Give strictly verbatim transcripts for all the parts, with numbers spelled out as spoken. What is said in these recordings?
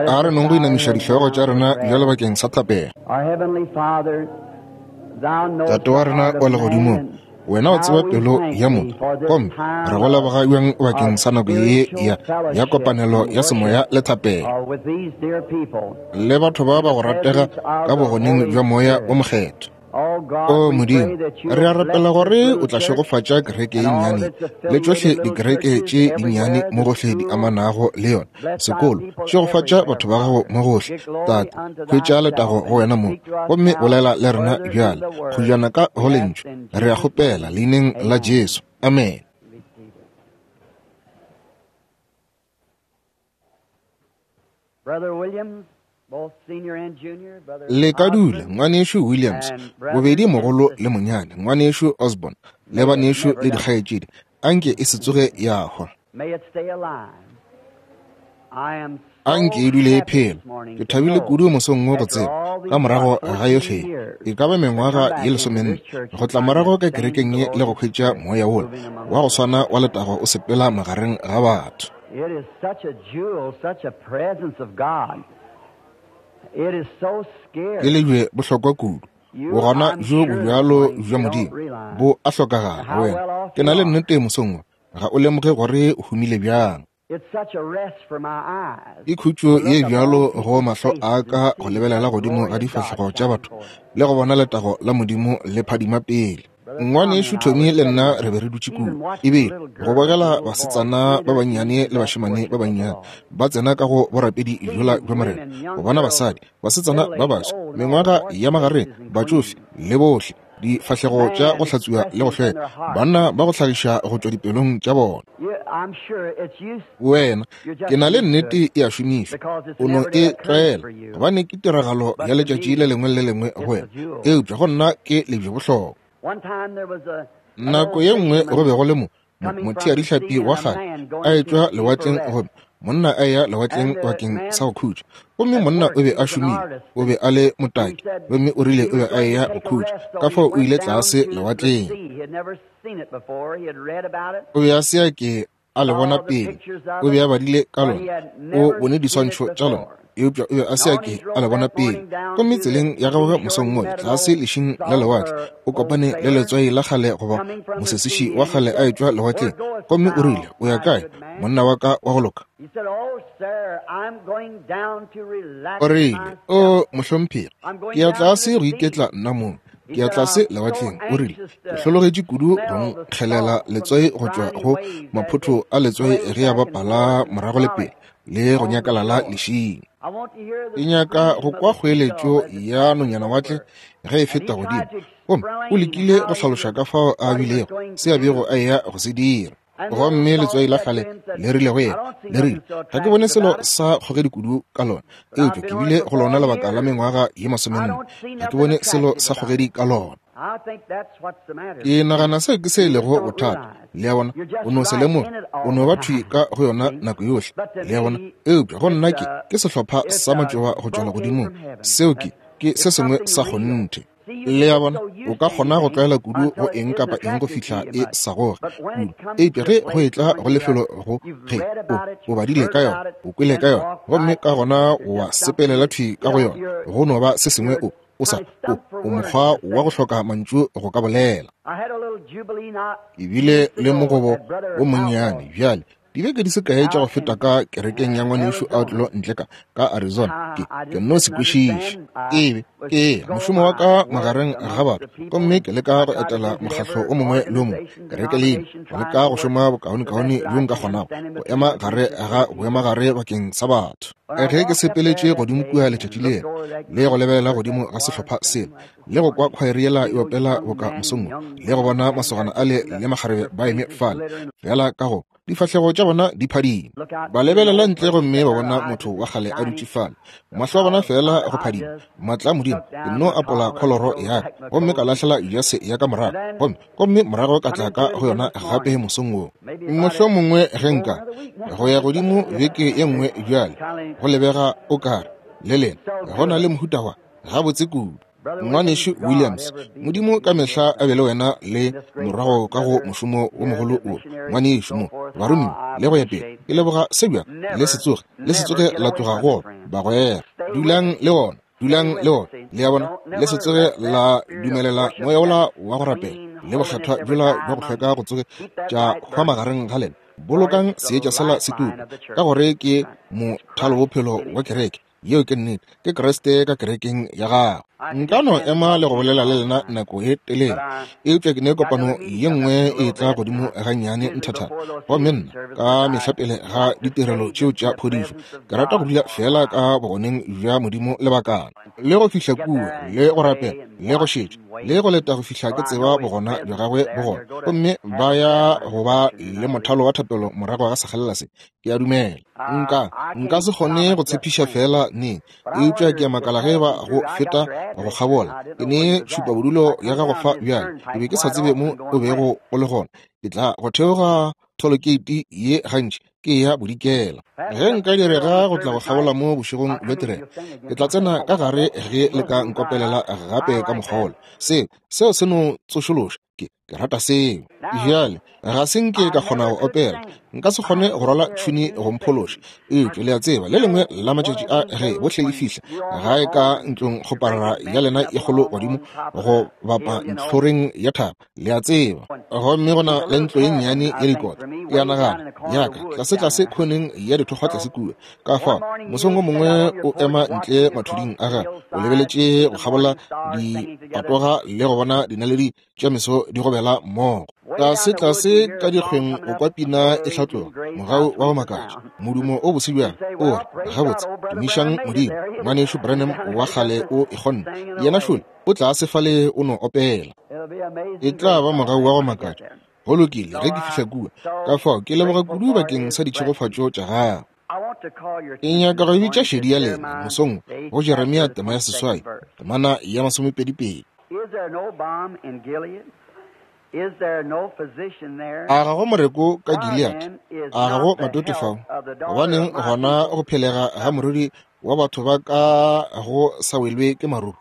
A re nong go inamiša dihlogo tša rena bjalo bakeng sa thapelo. Tate wa rena wa legodimong, wena o tseba pelo ya motho, gomme re go leboga bjang bakeng sa nako ye ya, ya kopanelo ya semoya le thapelo le batho ba ba go ratega ka bogoneng bja Moya wo Mokgethwa. O Modimo, re a rapela gore o tla šegofatša kereke ye nnyane le tšohle dikereke tše dinnyane mo gohle di amanago le yona, sekolo. Šegofatša batho ba gago mo gohle, Tate. Hwetša letago go wena mo, gomme bolela le rena bjale kgojana ka go lentšu. Re a kgopela leineng la Jesu. Amen. Le ka dula, ngwanešu Williams, bobedi mogolo le monyane, ngwanešu Osborne, le banešu le dikgaetšedi, anke e se tsoge ya hwa. Anke e dule e phela. Ke thabile kudu mosong wo go tseba, ka morago ga yohle, e ka ba mengwaga ye lesomenne, go tla morago ka kerekeng ye le go hwetša moya wola wa go swana wa letago o sepela magareng ga batho. It is such a jewel, such a presence of God. It is so scary. Ke lejwe bohlokwa kudu. Bogona bjo bo bjalo bja Modimo bo a hlokagala go wena. Ke na le nnete mosong wo, ga o lemoge gore o humile bjang. It's such a rest for my eyes. Ke khutšo ye bjalo go mahlo a ka go lebelela godimo ga difahlego tša batho le go bona letago la Modimo le phadima pele. Ngwanešu Tommy le nna re be re dutše kua, ebile go bogela basetsana ba bannyane le bašemane ba bannyane ba tsena ka go borapedi bjola bja Morena, go bona basadi, basetsana ba baswa, mengwaga ya magareng, batšofe le bohle, difahlego tša go hlatswiwa le go hlweka, banna ba go hlagiša go tšwa dipelong tša bona. Wena, ke na le nnete e a šomišwa, o no e tlwaela, gobane ke tiragalo ya letšatši le lengwe le lengwe go wena, eupša go nna ke lebje bohlokwa. Nako ye nngwe go be go le mo motheadihlapi wa kgale a etšwa lewatleng, gomme monna a ya lewatleng bakeng sa go khutša, gomme monna o be a šomile, o be a le motaki, gomme o rile o be a eya go khutša, ka fao o ile tlase lewatleng. O be a se a ke a le bona pele, o be a badile ka lona, o bone diswantšho tša lona, eupša o be a se a ke a le bona pele. Gomme tseleng ya gagwe mosong wola tlase lešing la lewatle, o kopane le letswai la kgale goba mosesiši wa kgale a etšwa lewatleng, gomme o rile, o ya kae, monna wa ka wa go loka? O rile, o mohlomphegi, ke ya tlase go iketla nna mong, ke ya tlase lewatleng. O rile, ke hlologetše kudu go nkgelela letswai go tšwa go maphotho a letswai ge a bapala morago le pele le go nyakalala lešing. Ke nyaka go kwa kgoeletšo ya nonyanawatle ge e feta godimo. Gomme o lekile go hlaloša ka fao a bilego se a bego a eya go se dira. Gomme letswai la kgale le rile go yena, le rile, ga ke bone selo sa kgogedi kudu ka lona, eupša ke bile go lona lebaka la mengwaga ye masomenne, ga ke bone selo sa kgogedi ka lona. Ke nagana seo ke se e lego bothata, le a bona, o no se lemoge, o no ba thwi ka go yona nako yohle, le a bona. Eupša go nna ke ke sehlopha sa matšoba go tšwa legodimong, seo ke ke se sengwe sa kgonthe. Le a bona, o ka kgona go tlwaela kudu go eng kapa eng go fihla e sa goge kudu, eupša ge go etla go lefelo go ge o o badile ka yona, o kwele ka yona, gomme ka gona wa sepelela thwi ka go yona, go no ba se sengwe o o sa o o mokgwa wa go hloka mantšu go ka bolela. Ebile le mogobo o monnyane bjale, dibeke di se kae tša go feta ka kerekeng ya ngwanešu Outlaw ntle ka ka Arizona, ke ke nno se kwešiše. Ebe ke mošomo wa ka magareng ga batho, gomme ke leka go etela mokgahlo o mongwe le o mongwe, kereke leina, go leka go šoma bokaonekaone bjo nka kgonago, go ema gare ga boemagare bakeng sa batho. Ge ke sepeletše godimo kua letšatši lela, le go lebelela godimo ga sehlopha sela, le go kwa khwaere yela e opela boka mosong wo, le go bona masogana ale le makgarebe ba eme fale, fela ka go difahlego tša bona di phadima. Ba lebelela ntle gomme ba bona motho wa kgale a dutše fale, mahlo a bona fela go phadima. Maatla a Modimo, ke nno apola kholoro ya ka, gomme ka lahlela jase ya ka morago, gomme gomme morago ka tla ka go yona gape mosong wo. Mohlomongwe ge nka go ya godimo beke ye nngwe bjale, go lebega o kare le lena go na le mohuta wa gabotse kudu. Ngwanešu Williams, Modimo ka mehla a be le wena le morago ka go mošomo wo mogolo wo, ngwanešu mo, baromiwa le go ya pele. Ke leboga se bjang, le se tsoge, le se tsoge la tloga go ona, bagwera. Dulang le ona, dulang le ona, le a bona, le se tsoge la dumelela moya wola wa go rapela le bokgethwa bjola bja go hlweka go tsoge tša hwa magareng ga lena. Bolokang seetša sela se tuka, ka gore ke mothalobophelo wa kereke. Yeo ke nnete, ke Kriste ka kerekeng ya gago. Nka no ema le go bolela le lena nako e telele, eupša ke ne kopano ye nngwe e tla godimo gannyane nthathana. Gomme nna ka mehla pele ga ditirelo tšeo tša phodišo, ke rata go dula fela ka bogoneng bja Modimo lebakana, le go fihla kua, le go rapela, le go šetša, le go leta go fihla ke tseba bogona bja gagwe bo gona. Gomme ba ya go ba le mothalo wa thapelo morago ga sekgalela se. Ke a dumela. Nka nka se kgone go tshepiša fela neng, eupša ke a makala ge ba go feta go kgabola. Ke ne tšhupa bodulo ya gago fa bjale, ke be ke sa tsebe mo o bego o le gona. Ke tla go theoga tholokate ye gantši ke ya bodikela. Ge nka direga go tla go kgabola mo bošegong bja tirelo, ke tla tsena ka gare ge le ka nkopelela gape ka mokgolo. Seo seo se no tsošološa, ke ke rata seo. Bjale ga se nke ka kgona go opela, nka se kgone go rwala tšhuni go mphološa, eupša le a tseba, le lengwe la matšatši a ge bohle e fihla gae ka ntlong kgoparara ya lena e kgolo godimo go bapa ntlhoreng ya thaba, le a tseba. Gomme go na le ntlo ye nnyane ya dikota, ke a nagana yaka tlasetlase khoneng ya dithokgwa tlase kua. Ka fao mosong o mongwe o ema ntle mathuding a gagwe, o lebeletše go kgabola dipatoga le go bona dinaledi tša meso di gobela mmogo. Tlase-tlase ka dikgweng o kwa pina e hlatloga, mogau wa go makatša, modumo o bose bjang, o re, gabotse, tumišang Modimo, ngwanešu Branham wa kgale o e kgonne. Yena šole o tlase fale o no opela. E tla ba mogau wa go makatša. Go lokile ge ke fihla kua. Ka fao ke leboga kudu bakeng sa ditšhegofatšo tša gago. Ke nyaka go bitša šedi ya lena mosong go Jeremia tema ya seswai, temana ya masomepedipedi. A ga go moreko ka Gilead? A ga go matoto fao? Gobaneng gona go phelega ga moriri wa batho ba ka go sa welwe ke maruru?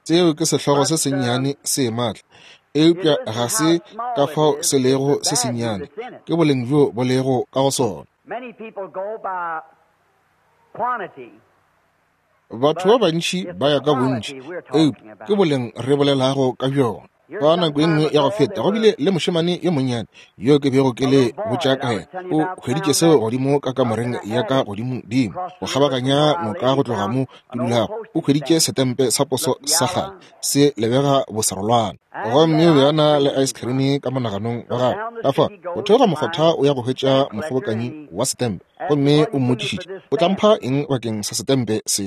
Seo ke sehlogo se sennyane se maatla, eupša ga se ka fao se lego se sennyane, ke boleng bjo bo lego ka go sona. Batho ba bantši ba ya ka bontši, eupša ke boleng re bolelago ka bjona. Ka nako e nngwe ya go feta go bile le mošemane yo monnyane yo ke bego ke le botša ka yena. O hweditše seo godimo ka kamoreng ya ka godimodimo, go kgabaganya noka go tloga mo ke dulago. O hweditše setempe sa poso sa kgale se lebega bosarolwana, gomme o be a na le ice cream ka monaganong wa gagwe. Ka fao go theoga mokgotha o ya go hwetša mokgobokanyi wa setempe, gomme o mmotšišitše, o tla mpha eng bakeng sa setempe se?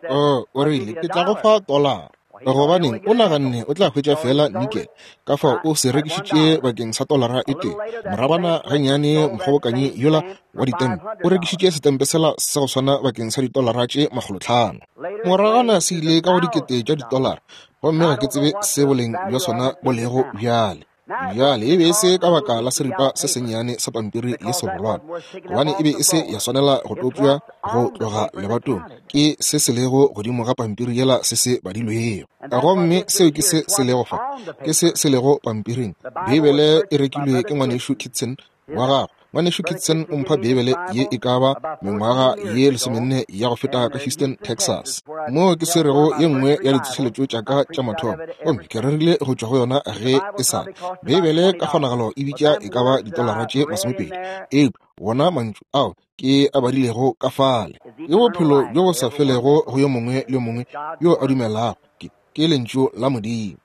Oh, o rile, ke tla go fa tolara. Gobaneng o naganne o tla hwetša fela nikel, ka fao o se rekišitše bakeng sa tolara e tee. Morabana gannyane mokgobokanyi yola wa ditempe o rekišitše setempe sela sa go swana bakeng sa ditolara tše makgolotlhano. Moragana se ile ka go dikete tša ditolara, gomme ga ke tsebe se boleng bja sona bo lego bjale. Bjale e be e se ka baka la seripa se sennyane sa pampiri ye serolwana, gobane e be e se ya swanela go topša go tloga lebatong, ke se se lego godimo ga pampiri yela se se badilwego. Gomme seo ke se se lego fa, ke se se lego pampiring. Beibele e rekilwe ke ngwanešu Kitson wa gagwe. Ngwanešu Kitson o mpha Beibele ye e ka ba mengwaga ye lesomenne ya go feta ka Houston, Texas, moo ke swerego ye nngwe ya ditsošeletšo tša ka tša mathomo, gomme ke rerile go tšwa go yona ge e sa le. Beibele ka kgonagalo e bitša e ka ba ditolara tše masomepedi, eupša wona mantšu ao ke a badilego ka fale ke bophelo bjo bo sa felego go yo mongwe le yo mongwe yo a dumelago, ke ke lentšu la Modimo.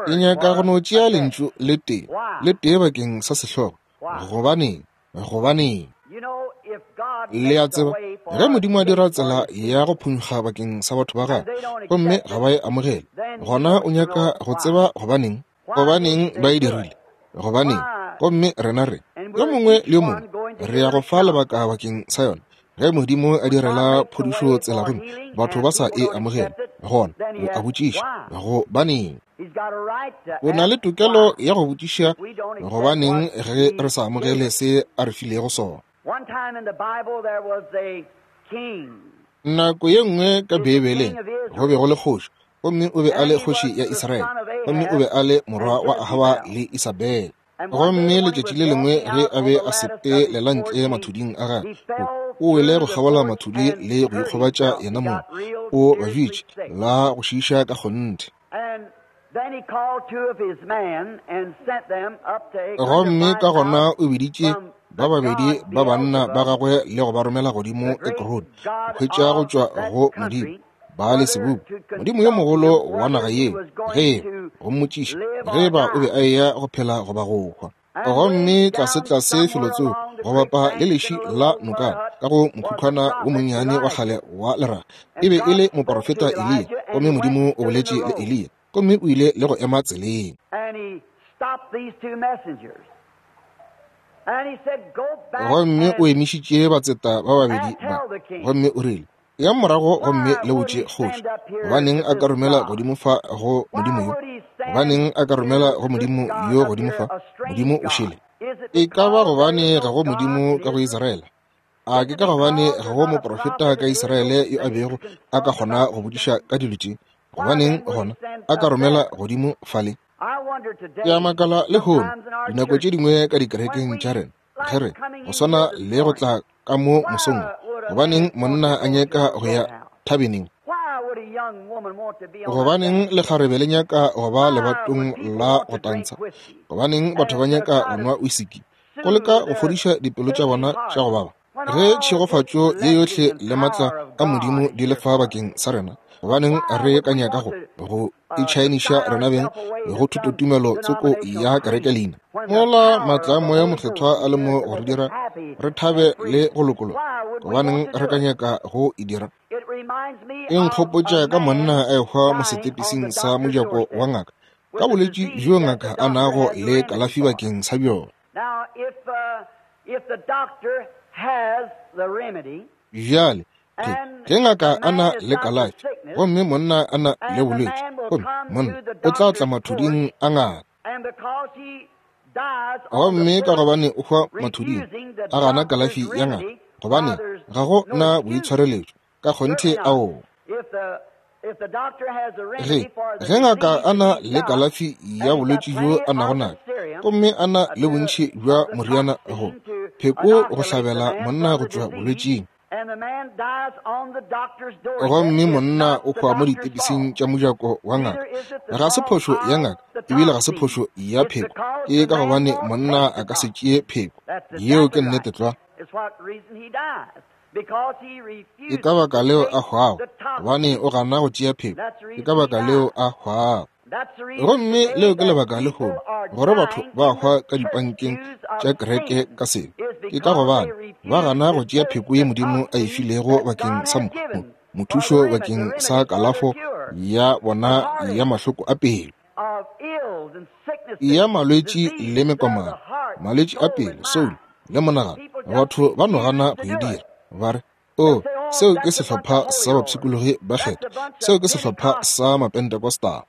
Ke nyaka go no tšea lentšu le tee, le tee bakeng sa sehlogo. Gobaneng? Gobaneng? Le a tseba, ge Modimo a dira tsela ya go phunkga bakeng sa batho ba gagwe, gomme ga ba e amogele, gona o nyaka go tseba gobaneng? Gobaneng ba e dirile? Gobaneng? Gomme rena re, yo mongwe le yo mongwe, re ya go fa lebaka bakeng sa yona. Ge Modimo a direla phodišo tsela gomme batho ba sa e amogele, gona o a botšiša gobaneng. O na le tokelo ya go botšiša gobaneng ge re sa amogele se a re filego sona. Nako ye nngwe ka Beibeleng go be go le kgoši, gomme o be a le kgoši ya Israele, gomme o be a le morwa wa Ahaba le Isabele. Gomme letšatši le lengwe ge a be a sepelela ntle mathuding a gagwe, o wele go kgabola mathudi le go ikgobatša yena mong, o bajitše la go šiiša ka kgonthe. Gomme ka gona o biditše ba babedi ba banna ba gagwe le go ba romela godimo Ekrone, go hwetša go tšwa go Modimo Baale-Sebubu, modimo yo mogolo wa naga yeo, ge go mmotšiša ge ba o be a eya go phela goba go hwa. Gomme tlase-tlase felotsoko go bapa le leši la nokana ka go mokhukhwana wo monnyane wa kgale wa leraga, e be e le moporofeta Eliya, gomme Modimo o boletše le Eliya, gomme o ile le go ema tseleng. Gomme o emišitše batseta ba babedi ba, gomme o rile, ya morago gomme le botše kgoši, gobaneng a ka romela godimo fa go modimo yo? Gobaneng a ka romela go modimo yo godimo fa? Modimo o šele. E ka ba gobane ga go modimo ka go Israele? A ke ka gobane ga go moprofeta ka Israele yo a bego a ka kgona go botšiša ka dilo tše? Gobaneng gona a ka romela godimo fale? Ke a makala lehono, dinako tše dingwe ka dikerekeng tša rena, ge re go swana le go tla ka mo mosong, gobaneng monna a nyaka go ya thabeneng? Gobaneng lekgarebe le nyaka go ba lebatong la go tantsha? Gobaneng batho ba nyaka go nwa wisiki, go leka go fodiša dipelo tša bona tša go baba? Ge tšhegofatšo ye yohle le matla a Modimo di le fa bakeng sa rena, gobaneng re ka nyaka go go itšhaeniša rena beng go thutotumelo tsoko ya kereke leina, mola matla a Moya Mokgethwa a le mo go re dira re thabe le go lokologa? Gobaneng re ka nyaka go e dira? E nkgopotša ka monna a ehwa mo setepising sa mojako wa ngaka ka bolwetši bjo ngaka a nago le kalafi bakeng sa bjona. Bjale ge ngaka a na le kalafi gomme monna a na le bolwetši, gomme monna o tla tla mathuding a ngaka, gomme ka gobane o hwa mathuding a gana kalafi ya ngaka, gobane ga go na boitshwareletšo ka kgonthe ao. Ge ge ngaka a na le kalafi ya bolwetši bjo a nago nago, gomme a na le bontši bja moriana go pheko go hlabela monna go tšwa bolwetšing, gomme monna o hwa mo ditepising tša mojako wa ngaka, ga se phošo ya ngaka ebile ga se phošo ya pheko, ke ka gobane monna a ka se tšee pheko. Yeo ke nnete tlwa. Ke ka baka leo a hwago, gobane o gana go tšea pheko. Ke ka baka leo a hwago. Gomme leo ke lebaka lehono gore batho ba hwa ka dipankeng tša kereke ka sebe, ke ka gobane ba gana go tšea pheko ye Modimo a e filego bakeng sa mothušo bakeng sa kalafo ya bona ya mahloko a pelo, ya malwetši le mekomano, malwetši a pelo, soul le monagano. Batho ba no gana go e dira, ba re, o, seo ke sehlopha sa bapshikologi ba kgetho, seo ke sehlopha sa Mapentecostal.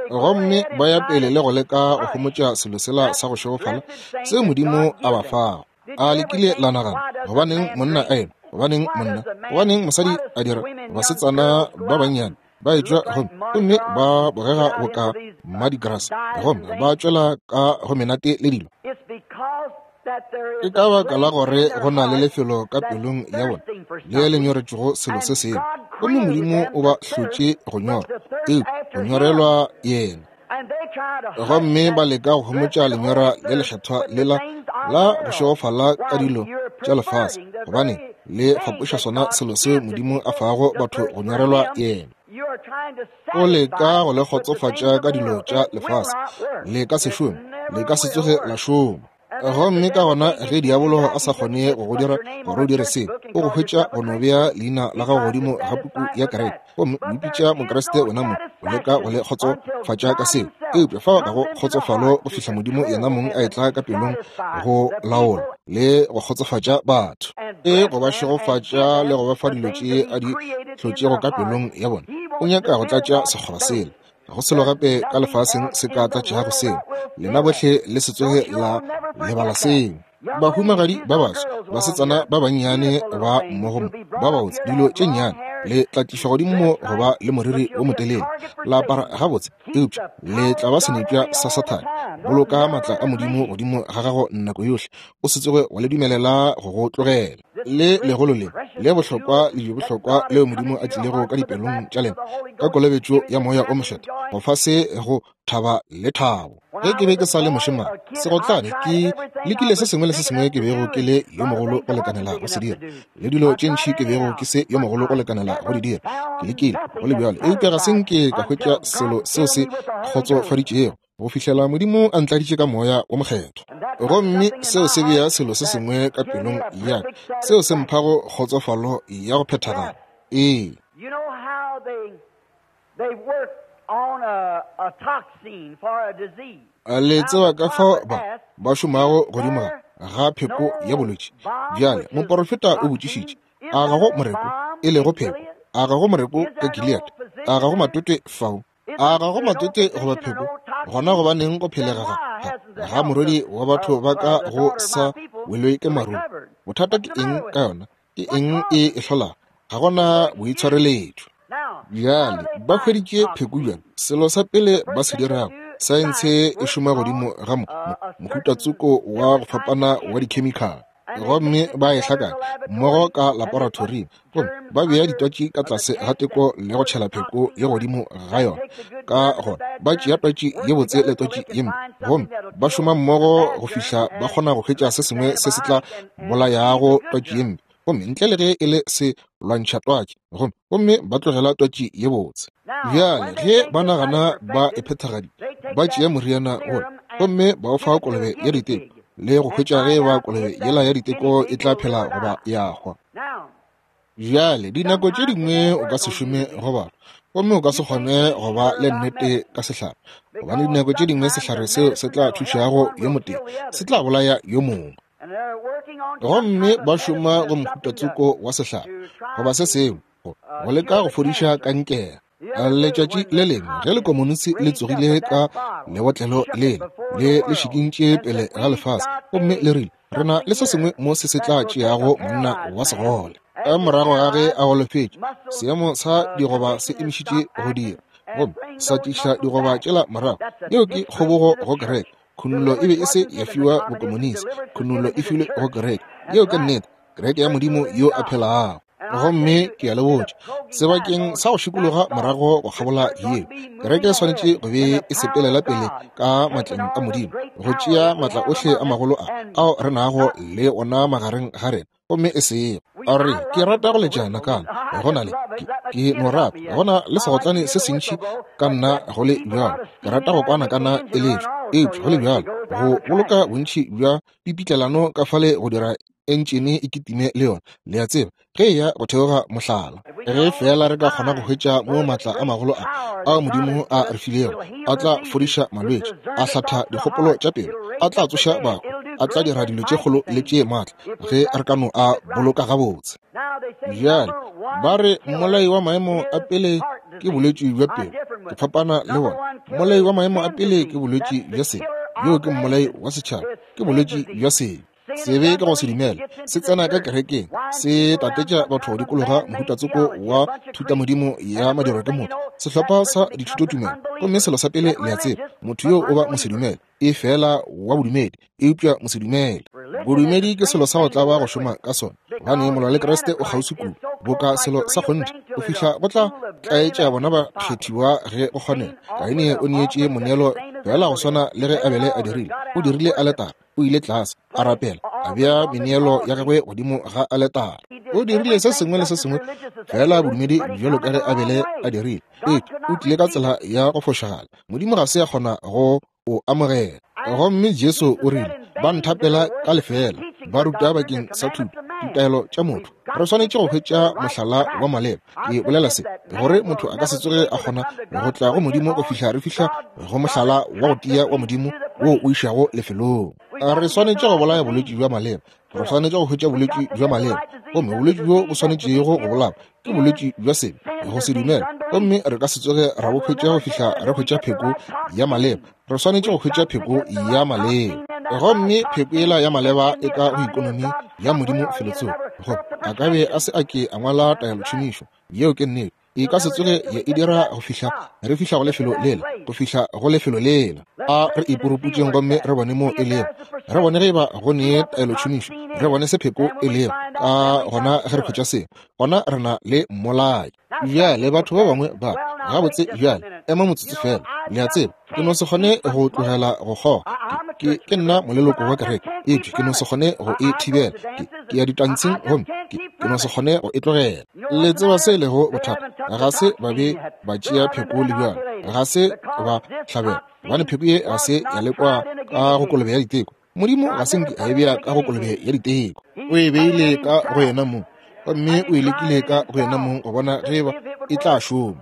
Gomme ba ya pele le go leka go homotša selo sela sa go šegofala seo Modimo a ba fago. A le kile la nagana, gobaneng monna a enwa? Gobaneng monna? Gobaneng mosadi a dira? Basetsana ba bannyane ba etšwa gomme gomme ba bogega boka Mardi Gras, gomme ba tšwela ka go menate le dilo. Ke ka baka la gore go na le lefelo ka pelong ya bona le le nyoretšego selo se sengwe, gomme Modimo o ba hlotše go nyora, eupša go nyorelwa yena. Gomme ba leka go homotša lenyora le lekgethwa lela la go šegofala ka dilo tša lefase, gobane le fapoša sona selo seo Modimo a fago batho go nyorelwa yena. O leka go le kgotsofatša ka dilo tša lefase, le ka se šome, le ka se tsoge la šoma. Gomme ka gona ge diabolo a sa kgone go go dira gore o dire seo, o go hwetša go no bea leina la gago godimo ga puku ya kereke, gomme o ipitša Mokriste wena mong, o leka go le kgotsofatša ka seo. Eupša fao ga go kgotsofalo go fihla Modimo yena mong a etla ka pelong go laola le go kgotsofatša batho, e go ba šegofatša le go ba fa dilo tše a di hlotšego ka pelong ya bona. O nyaka go tlatša sekgoba sela. Go selo gape ka lefaseng se ka tlatšago seo. Lena bohle le se tsoge la lebala seo. Bahumagadi ba baso, basetsana ba bannyane ba mmogo mo, ba babotse, dilo tše nnyane, le tla tlišwa godimo mo go ba le moriri wo motelele, la apara gabotse, eupša le tla ba senepša sa Sathane. Boloka maatla a Modimo godimo ga gago nako yohle, o se tsoge wa le dumelela go go tlogela. Le legolo le le bohlokwa le bohlokwa leo Modimo a tlilego ka dipelong tša lena ka kolobetšo ya Moya o Mokgethwa, go fa se go thaba le thabo. Ge ke be ke sa le mošemane segotlane, ke lekile se sengwe le se sengwe ke bego ke le yo mogolo go lekanela go se dira, le dilo tše ntši ke bego ke se yo mogolo go lekanela go di dira. Ke lekile go le bjalo, eupša ga se nke ka hwetša selo seo se kgotsofaditšego go fihlela Modimo a ntladitše ka Moya wo Mokgethwa. Gomme seo se bea selo se sengwe ka pelong ya ka seo se mphago kgotsofalo ya go phethagala. Ee. Le tseba ka fao ba ba šomago godimo ga pheko ya bolwetši. Bjale moporofeta o botšišitše, a ga go moreko e lego pheko? A ga go moreko ka Gilead? A ga go matwetwe fao? A ga go matwetwe goba pheko? Gona gobaneng go phelega ga ga morwedi wa batho ba ka go sa welwe ke marung? Bothata ke eng ka yona? Ke eng e e hlolago? Ga gona boitshwareletšo. Bjale ba hweditše pheko bjang? Selo sa pele ba se dirago, saense e šoma godimo ga mohutatsoko wa go fapana wa dikhemikhale, gomme ba e hlakanya mmogo ka laboratoring, gomme ba bea ditwatši ka tlase ga teko le go tšhela pheko ye godimo ga yona. Ka gona ba tšea twatši ye botse le twatši ye mpe, gomme ba šoma mmogo go fihla ba kgona go hwetša se sengwe se se tla bolayago twatši ye mpe, gomme ntle le ge e le se lwantšha twatši, gomme gomme ba tlogela twatši ye botse. Bjale ge ba nagana ba e phethagaditše, ba tšea moriana wola gomme ba o fa kolobe ya diteko le go hwetša ge ba kolobe yela ya diteko e tla phela goba ya hwa. Bjale dinako tše dingwe o ka se šome go batho, gomme o ka se kgone go ba le nnete ka sehlare, gobane dinako tše dingwe sehlare seo se tla thušago yo motee se tla bolaya yo mongwe. Gomme ba šoma go mohutatsoko wa sehlare goba se sengwe go leka go fodiša kankere. Letšatši le lengwe ge lekomonisi le tsogile ka lebotlelo lele le le šikintše pele ga lefase, gomme le rile, re na le se sengwe mo se se tla tšeago monna wa segole. Ka morago ga ge a golofetše, seemo sa digoba se emišitše go dira, gomme sa tliša digoba tšela morago. Yeo ke kgobogo go kereke. Khunollo e be e se ya fiwa bokomonisi, khunollo e filwe go kereke. Yeo ke nnete, kereke ya Modimo yo a phelago. Gomme ke a le botša, sebakeng sa go šikologa morago go kgabola yeo, kereke e swanetše go be e sepelela pele ka matleng a Modimo, go tšea maatla ohle a magolo a ao re nago le ona magareng ga rena, gomme e sego. A re, ke rata go letša nakana, go na le ke, ke no rata, go na le segotlane se sentši ka nna go le bjalo, ke rata go kwana kana e letšwa, eupša go le bjalo go boloka bontši bja pipitlelano ka fale go dira entšene e kitime le yona, le a tseba, ge e ya go theoga mohlala. Ge fela re ka kgona go hwetša mo maatla a magolo a ao Modimo a re filego, a tla fodiša malwetši, a hlatha dikgopolo tša pelo, a tla tsoša bahu, a tla dira dilo tše kgolo le tše maatla, ge re ka no a boloka gabotse. Bjale ba re mmolai wa maemo a pele ke bolwetši bja pelo. Ke fapana le bona. Mmolai wa maemo a pele ke bolwetši bja sebe. Yo ke mmolai wa setšhaba, ke bolwetši bja sebe. Sebe ke go se dumela, se tsena ka kerekeng, se tatetša batho go dikologa mohutatsoko wa thutamodimo ya madirwa ke motho, sehlopha sa dithutotumelo, gomme selo sa pele le a tseba, motho yo o ba mosedumele, e fela wa bodumedi, eupša mosedumele. Bodumedi ke selo sa go tlaba go šoma ka sona, gobane molwa le Kriste o kgauswi kudu, boka selo sa kgonthe, go fihla go tla tlaetša bona ba kgethiwa ge go kgonega. Kaine o neetše moneelo fela go swana le ge Abele a dirile, o dirile aletare, o ile tlase, a rapela, a bea meneelo ya gagwe godimo ga aletare. O dirile se sengwe le se sengwe fela bodumedi bjalo ka ge Abele a dirile, eupša o tlile ka tsela ya go fošagala. Modimo ga se a kgona go o amogela. Gomme Jesu o rile, ba nthapela ka lefela, ba ruta bakeng sa thuto ditaelo tša motho. Re swanetše go hwetša mohlala wa maleba. Ke bolela se gore motho a ka se tsoge a kgona go tla go Modimo go fihla re fihla go mohlala wa go tia wa Modimo wo o išago lefelong. Re swanetše go bolaya bolwetši bja maleba. Re swanetše go hwetša bolwetši bja maleba, gomme bolwetši bjo bo swanetšego go bolawa ke bolwetši bja sebe, go se dumela, gomme re ka se tsoge ra bo hwetša go fihla re hwetša pheko ya maleba. Re swanetše go hwetša pheko ya maleba, gomme pheko yela ya maleba e ka go ikonomi ya Modimo felotsoko. Goba a ka be a se a ke a ngwala taelotšhomišo. Yeo ke nnete. E ka se tsoge ya e dira go fihla re fihla go lefelo lela, go fihla go lefelo lela. A re ipuruputšeng gomme re bone mo e lego. Re bone ge eba go ne taelotšhomišo, re bone se pheko e lego. Ka gona ge re hwetša seo, gona re na le mmolai. Bjale batho ba bangwe ba gabotse bjale ema motsotso fela. Le a tseba, ke no se kgone go tlogela go kgoga. Ke, ke nna moleloko wa kereke, eupša ke no se kgone go e thibela. Ke, ke ya ditantshing gomme ke, ke no se kgone go e tlogela. Le tseba se e lego bothata? Ga se ba be ba tšea pheko le bjalo, ga se ba hlabela, gobane pheko ye ga se ya lekwa ka go kolobe ya diteko. Modimo ga se nke a e bea ka go kolobe ya diteko. O e beile ka go yena mong, gomme o e lekile ka go yena mong go bona ge eba e tla šoma.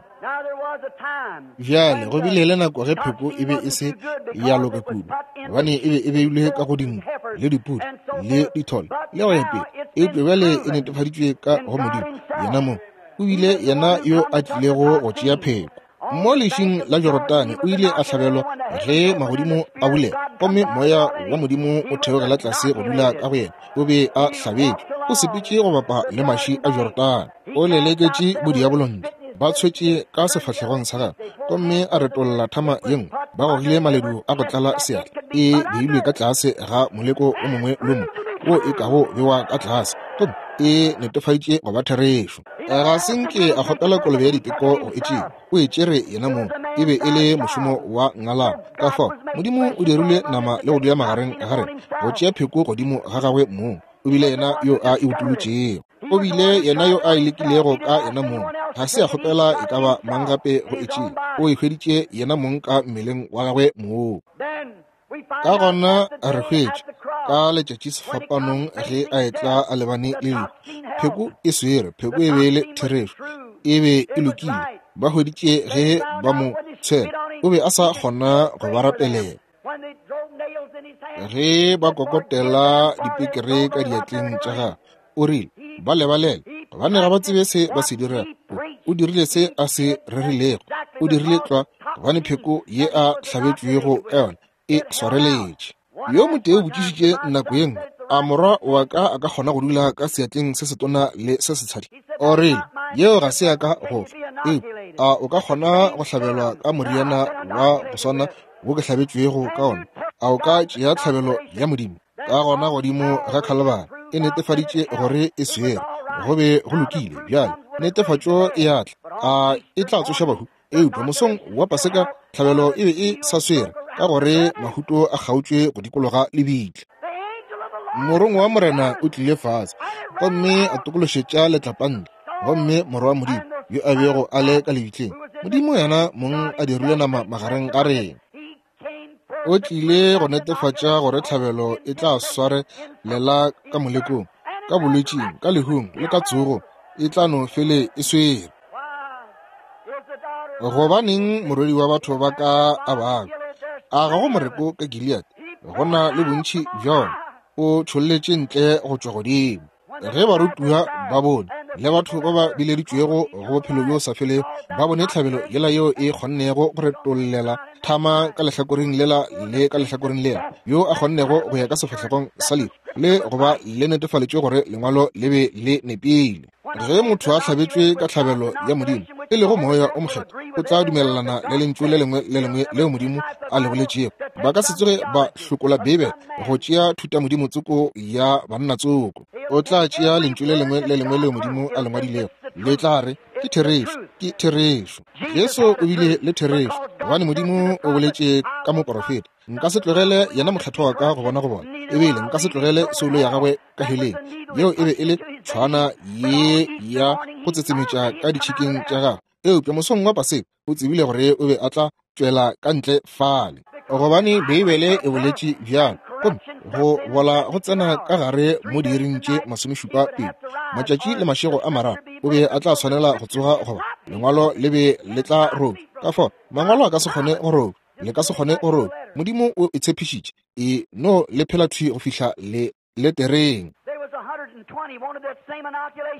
Bjale go bile le nako ge pheko e be e se ya loka kudu, gobane e be e beilwe ka go dinku le dipudi le dithole le go ya pele. Eupša bjale e netefaditšwe ka go Modimo yena mong. O bile yena yo a tlilego go tšea pheko. Mo lešing la Jorodane o ile a hlabelwa ge magodimo a bulega, gomme moya wa Modimo o theogela tlase go dula ka go yena. O be a hlabetšwe, o sepetše go bapa le maši a Jorodane, o leleketše bodiabolo ntle, ba tshwetše ka sefahlegong sa gagwe, gomme a retolla thama ye nngwe. Ba gogile maledu a go tlala seatla, e beilwe ka tlase ga moleko o mongwe le mongwe wo e kago bewa ka tlase, gomme e netefaditše go ba therešo. Ga se nke a kgopela kolobe ya diteko go e tšea, o e tšere yena mong. E be e le mošomo wa ngalana. Ka fao Modimo o dirile nama le go dula magareng ga rena, go tšea pheko godimo ga gagwe mong. O bile yena yo a e utolotšego, o bile yena yo a e lekilego ka yena mong. Ga se a kgopela e ka ba mang gape go e tšea, o e hweditše yena mong ka mmeleng wa gagwe mong. Ka gona re hwetše ka letšatši sefapanong ge a etla a lebane le lehu, pheko e swere, pheko e be e le therešo, e be e lokile. Ba hweditše ge ba mo tshwela, o be a sa kgona go ba rapelela. Ge ba kokotela dipekere ka diatleng tša gagwe, o rile, ba lebalele, gobane ga ba tsebe se ba se dirago. O dirile se a se rerilego, o dirile tlwa, gobane pheko ye a hlabetšwego ka yona e swareletše. Yo motee o botšišitše nako ye nngwe, a morwa wa ka a ka kgona go dula ka seatleng se setona le se setshadi? O rile, yeo ga se ya ka go fa. Eupša a o ka kgona go hlabelwa ka moriana wa go swana wo ke hlabetšwego ka ona? A o ka tšea tlhabelo ya Modimo? Ka gona godimo ga Khalibari e netefaditše gore e swere, go be go lokile. Bjale netefatšo e a tla, a e tla tsoša bahu. Eupša mosong wa Paseka tlhabelo e be e sa swere, ka gore mahuto a kgaotšwe go dikologa lebitla. Morongwa wa Morena o tlile fase gomme a tokološetša letlapa ntle, gomme morwa wa Modimo yo a bego a le ka lebitleng, Modimo yena mong a dirile nama magareng ga rena, o tlile go netefatša gore tlhabelo e tla swarelela ka molekong, ka bolwetšing, ka lehung le ka tsogo, e tla no fele e swere. Gobaneng morwedi wa batho ba ka a babja? A ga go moreko ka Gilead? Go na le bontši bja ona. O tšholletše ntle go tšwa godimo. Ge barutiwa ba bone le batho ba ba bileditšwego go bophelo bjo sa felego ba bone tlhabelo yela yeo e kgonnego go retollela thama ka lehlakoreng lela le ka lehlakoreng lela, yo a kgonnego go ya ka sefahlegong sa lehu le go ba le netefaletšwe gore lengwalo le be le nepile. Ge motho a hlabetšwe ka tlhabelo ya Modimo, e lego moya o mokgethwa, o tla dumelelana le lentšu le lengwe le lengwe leo Modimo a le boletšego. Ba ka se tsoge ba hlokola Beibele go tšea thutamodimo tsoko ya banna tsoko. O tla tšea lentšu le lengwe le lengwe leo Modimo a le ngwadilego, le tla re ke therešo, ke therešo. Jesu o bile le therešo, gobane Modimo o boletše ka moporofeta. Nka se tlogele yena mokgethwa wa ka go bona go bona, ebile nka se tlogele soulo ya gagwe ka heleng. Yeo e be e le tshwana ye ya go tsetsemetša ka ditšhikeng tša gagwe. Eupša mosong wa Paseka o tsebile gore o be a tla tšwela ka ntle fale, gobane Beibele e boletše bjalo. Gomme go bola go tsena ka gare mo diiring tše masomešupa pedi, matšatši le mašego a mararo, o be a tla swanela go tsoga, goba lengwalo le be le tla robja. Ka fao mangwalo a ka se kgone go robja, le ka se kgone go robja. Modimo o e tshepišitše, e no le phela thwi go fihla le letereng.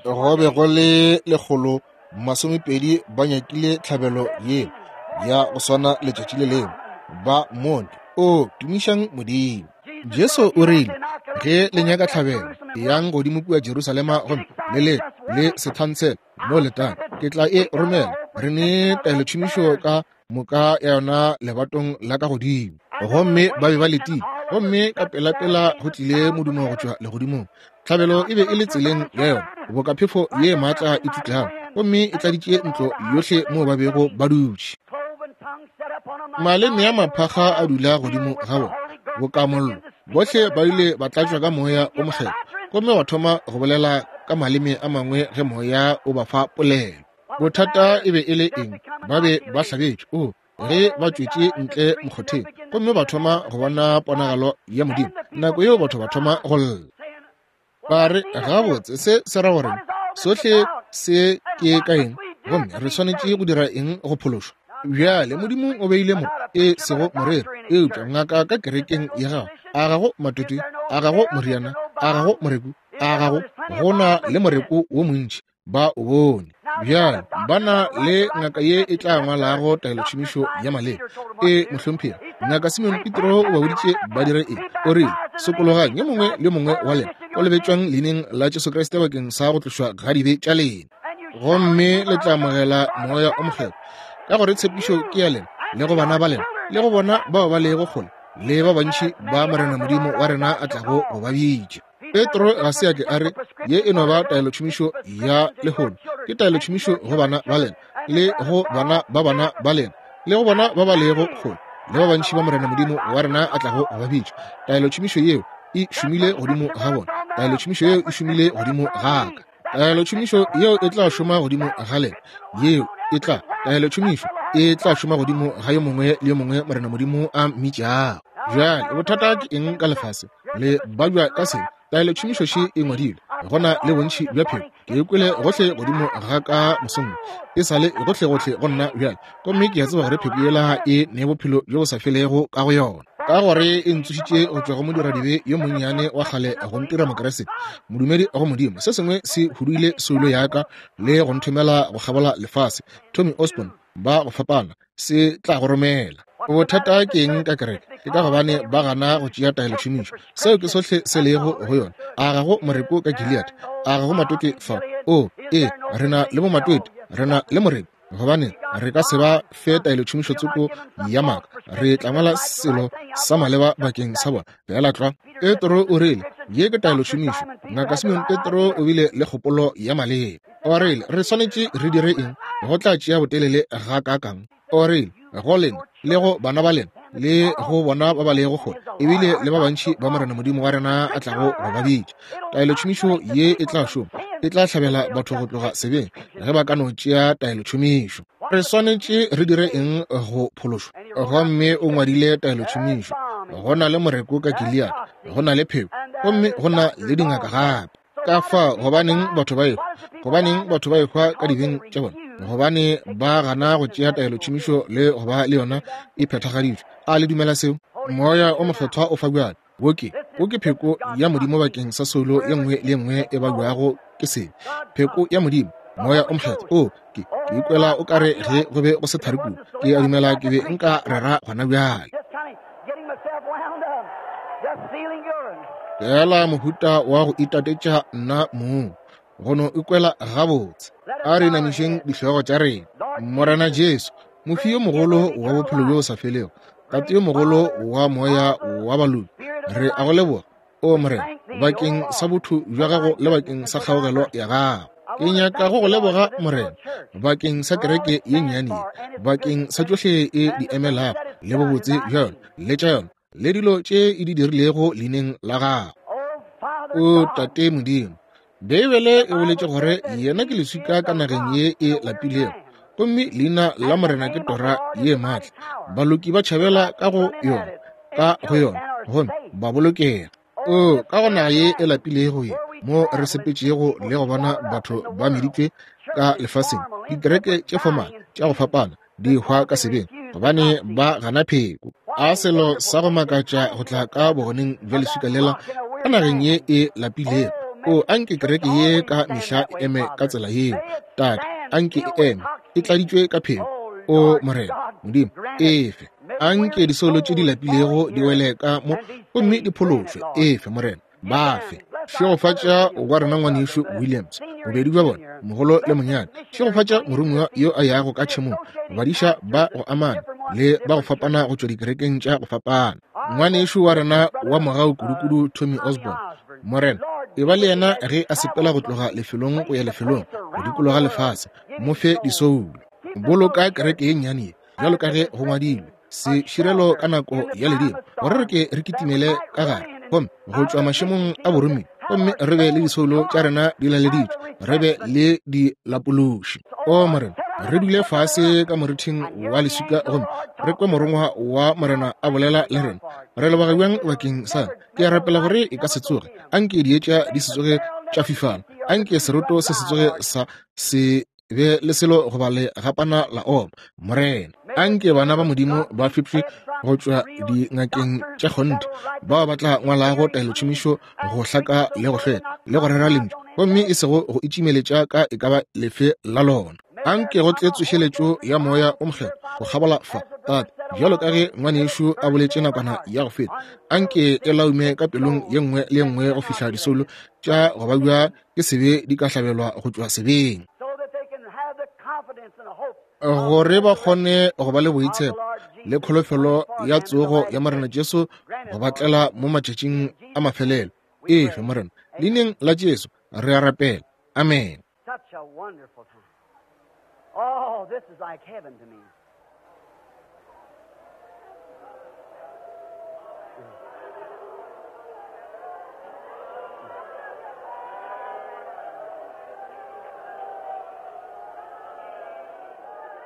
Go be go le lekgolo masomepedi ba nyakile tlhabelo ye ya go swana letšatši le lengwe, ba mone. O tumišang Modimo. Jesu o rile, ge le nyaka tlhabelo, Eyang godimo kua Jerusalema gomme le le le sethantshele mo letang. Ke tla e romela. Re ne taelotšhomišo ka moka ya yona lebatong la ka godimo. Gomme ba be ba letile. Gomme ka pelapela go tlile modumo go tšwa legodimong. Tlhabelo e be e le tseleng ya yona, boka phefo ye maatla e tšutlago, gomme e tladitše ntlo yohle moo ba bego ba dutše. Maleme a maphakga a dula godimo ga bona boka mollo. Bohle ba ile ba tlatšwa ka moya o mokgethwa, gomme ba thoma go bolela ka maleme a mangwe ge moya o ba fa polelo. Bothata e be e le eng? Ba be ba hlabetšwe. O ge ba tšwetše ntle mokgotheng gomme ba thoma go bona ponagalo ya Modimo, nako yeo batho ba thoma go lla. Ba re, gabotse, se se ra gore sohle se ke ka eng, gomme re swanetše go dira eng go phološwa? Bjale Modimo o beile mo e sego moreri, eupša ngaka ka kerekeng ya gago. A gago matwetwe, a gago moriana, a gago moreku, a gago go na le moreku wo montši, ba o bone. Bjale ba na le ngaka ye e tla ngwalago taelotšhomišo ya maleba. E mohlomphegi, ngaka Simon Petro o ba boditše ba dire eng? O rile, sokologang yo mongwe le mongwe wa lena, o lebetšwang leineng la Jesu Kriste bakeng sa go tlošwa ga dibe tša lena, gomme le tla amogela moya o mokgethwa, ka gore tshepišo ke ya lena le go bana ba lena le go bona bao ba lego kgole le ba bantši ba Morena Modimo wa rena a tlago go ba bitša. Petro ga se a ke a re ye e no ba taelotšhomišo ya lehono, ke taelotšhomišo go bana ba lena le go bana ba bana ba lena le go bona ba ba lego kgole le ba bantši ba Morena Modimo wa rena a tlago go ba bitša. Taelotšhomišo yeo e šomile godimo ga bona. Taelotšhomišo yeo e šomile godimo ga ka. Taelotšhomišo yeo e tla šoma godimo ga lena. Yeo e tla taelotšhomišo e tla šoma godimo ga yo mongwe le yo mongwe Morena Modimo a mmitšago. Bjale bothata ke eng ka lefase? Le babja ka seng? Taelotšhomišo še e ngwadilwe, go na le bontši bja pheko. Ke e kwele gohle godimo ga ka mosong, e sa le gohlegohle go nna bjale, gomme ke a tseba gore pheko yela e ne bophelo bjo bo sa felego ka go yona, ka gore e ntsošitše go tšwa go modiradibe yo monnyane wa kgale go ntira Mokeresete, modumedi go Modimo. Se sengwe se huduile soulo ya ka le go nthomela go kgabola lefase. Tommy Osborn, ba go fapana, se tla go romela. Bothata ke eng ka kereke? Ke ka gobane ba gana go tšea taelotšhomišo. Seo ke sohle se lego go yona. A ga go moreko ka Gilead? A ga go matwetwe fa? O, ee, re na le bomatwetwe, re na le moreko, gobane re ka se ba fe taelotšhomišo tsoko ya maaka. Re tla ngwala selo sa maleba bakeng sa bona. Feela tlwa. Petro o rile, ye ke taelotšhomišo. Ngaka Simon Petro o bile le kgopolo ya maleba. O rile, re swanetše re dire eng? Go tla tšea botelele gakaakang? O rile, go lena le go bana ba lena le go bona ba ba lego kgole, ebile le ba bantši ba Morena Modimo wa rena a tlago go ba bitša. Taelotšhomišo ye e tla šoma, e tla hlabela batho go tloga sebeng ge ba ka no tšea taelotšhomišo. Re swanetše re dire eng go phološwa? Gomme o ngwadile taelotšhomišo. Go na le moreko ka Gilead, go na le pheko, gomme go na le dingaka gape. Ka fa gobaneng batho ba ehwa? Gobaneng batho ba ehwa ka dibeng tša bona? Gobane ba gana go tšea taelotšhomišo le go ba le yona e phethagaditšwe. A le dumela seo? Moya o mokgethwa o fa bjale. Wo ke, wo ke pheko ya Modimo bakeng sa soulo ye nngwe le ye nngwe e babjago ke sebe. Pheko ya Modimo, moya o mokgethwa. O, ke, ke ikwela o kare ge go be go se thari kudu. Ke a dumela ke be nka rera gona bjale. Feela mohuta wa go itatetša nna mong, go no ikwela gabotse. A re inamišeng dihlogo tša rena. Morena Jesu, mofi yo mogolo wa bophelo bjo bo sa felego, Tate yo mogolo wa moya wa baloki, re a go leboga, o Morena, bakeng sa botho bja gago le bakeng sa kgaogelo ya gago. Ke nyaka go go leboga, Morena, bakeng sa kereke ye nnyane ye, bakeng sa tšohle e di emelago le bobotse bja yona le tša yona le dilo tše e di dirilego leineng la gago. O Tate Modimo, Beibele e boletše gore yena ke leswika ka nageng ye e lapilego, gomme leina la Morena ke tora ye maatla. Baloki ba tšhabela ka go yona, ka go yona, gomme ba bolokega. O ka go naga ye e lapilego ye, mo re sepetšego le go bona batho ba meditšwe ka lefaseng, dikereke tše formal tša go fapana di hwa ka sebeng gobane ba gana pheko. A selo sa go makatša go tla ka bogoneng bja leswika lela ka nageng ye e lapilego. O anke kereke ye ka mehla e eme ka tsela yeo. Tate, anke e eme e tladitšwe ka pheko. O Morena Modimo, efe anke disoulo tše di lapilego di wele ka mo gomme di phološwe. Efe Morena, ba fe. Šegofatša wa rena ngwanešu Williams, bobedi bja bona, mogolo le monyane. Šegofatša moromiwa yo a yago ka tšhemong, badiša ba go amana le ba go fapana go tšwa dikerekeng tša go fapana. Ngwanešu wa rena wa mogau kudukudu Tommy Osborne, Morena, e ba le yena ge a sepela go tloga lefelong go ya lefelong go dikologa lefase. Mo fe disoulo. Boloka kereke ye nnyane ye bjalo ka ge go ngwadilwe se širelo ka nako ya ledimo, gore re ke re kitimele ka gare gomme go tšwa mašemong a boromiwa, gomme re be le disoulo tša rena di laleditšwe, re be le dilapološi. O Morena, re dule fase ka morithing wa leswika gomme re kwe morongwa wa Morena a bolela le rena. Re leboga bjang bakeng sa. Ke a rapela gore e ka se tsoge, anke dietša di se tsoge tša fifala, anke seroto se se tsoge sa se be le selo goba le gapana la oma. Morena, anke bana ba Modimo ba fepše go tšwa dingakeng tša kgonthe, bao ba tla ngwalago taelotšhomišo go hlaka le go hlweka le go rera lentšu, gomme e sego go itšimeletša ka e ka ba lefe la lona. Anke go tle tsošeletšo ya moya o mokgethwa go kgabola fa, Tate, bjalo ka ge ngwanešu a boletše nakwana ya go feta. Anke e laume ka pelong ye nngwe le ye nngwe go fihla disoulo tša go babja ke sebe di ka hlabelwa go tšwa sebeng, gore ba kgone go ba le boitshepo le kholofelo ya tsogo ya Morena Jesu go ba tlela mo matšatšing a mafelelo. Efe Morena, leineng la Jesu re a rapela. Amen. Such a wonderful time. Oh, this is like heaven to me.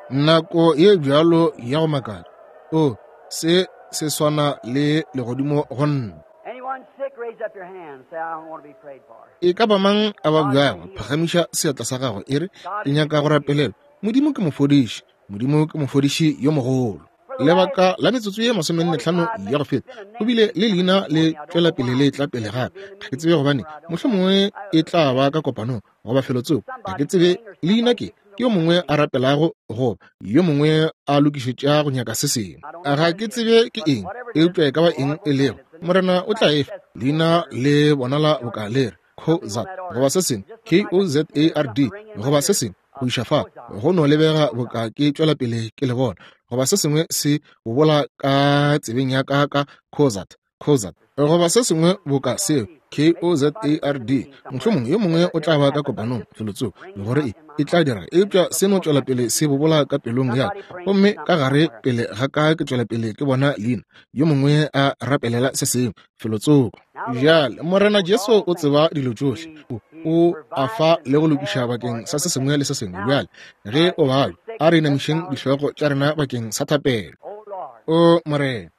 Nako ye bjalo ya go makatša. O, se se swana le legodimo go nna. Anyone sick, raise up your hand. Say, I don't want to be prayed for. E ka ba mang a ba bjago, phagamiša seatla sa gago e re, ke nyaka go rapelelwa. Modimo ke mofodiši. Modimo ke mofodiši yo mogolo. Lebaka la metsotso ye masomenne hlano ya go feta, go bile le leina le tšwela pele le tla pele gape. Ga ke tsebe gobane, mohlomongwe e tla ba ka kopanong goba felotsoko. Ga ke tsebe leina ke ke yo mongwe a rapelago goba yo mongwe a lokišetša go nyaka se sengwe. Ga ke tsebe ke eng, eupša e ka ba eng e lego, Morena o tla efa. Leina le bonala boka le re Kozard goba se sengwe, K O Z A R D goba se sengwe go iša fa, go no lebega boka ke tšwela pele ke le bona, goba se sengwe se bobola ka tsebeng ya ka ka Kozard, Kozard goba se sengwe boka seo, K O Z A R D. Mohlomongwe yo mongwe o tla ba ka kopanong felotsoko gore e e tla dira, eupša se no tšwela pele se bobola ka pelong ya ka, gomme ka gare pele ga ka ke tšwela pele ke bona leina yo mongwe a rapelela se sengwe felotsoko. Bjale Morena Jesu o tseba dilo tšohle, o o a fa le go lokiša bakeng sa se sengwe le se sengwe. Bjale ge o babja, a re inamišeng dihlogo tša rena bakeng sa thapelo. Oh, Lord. O Morena,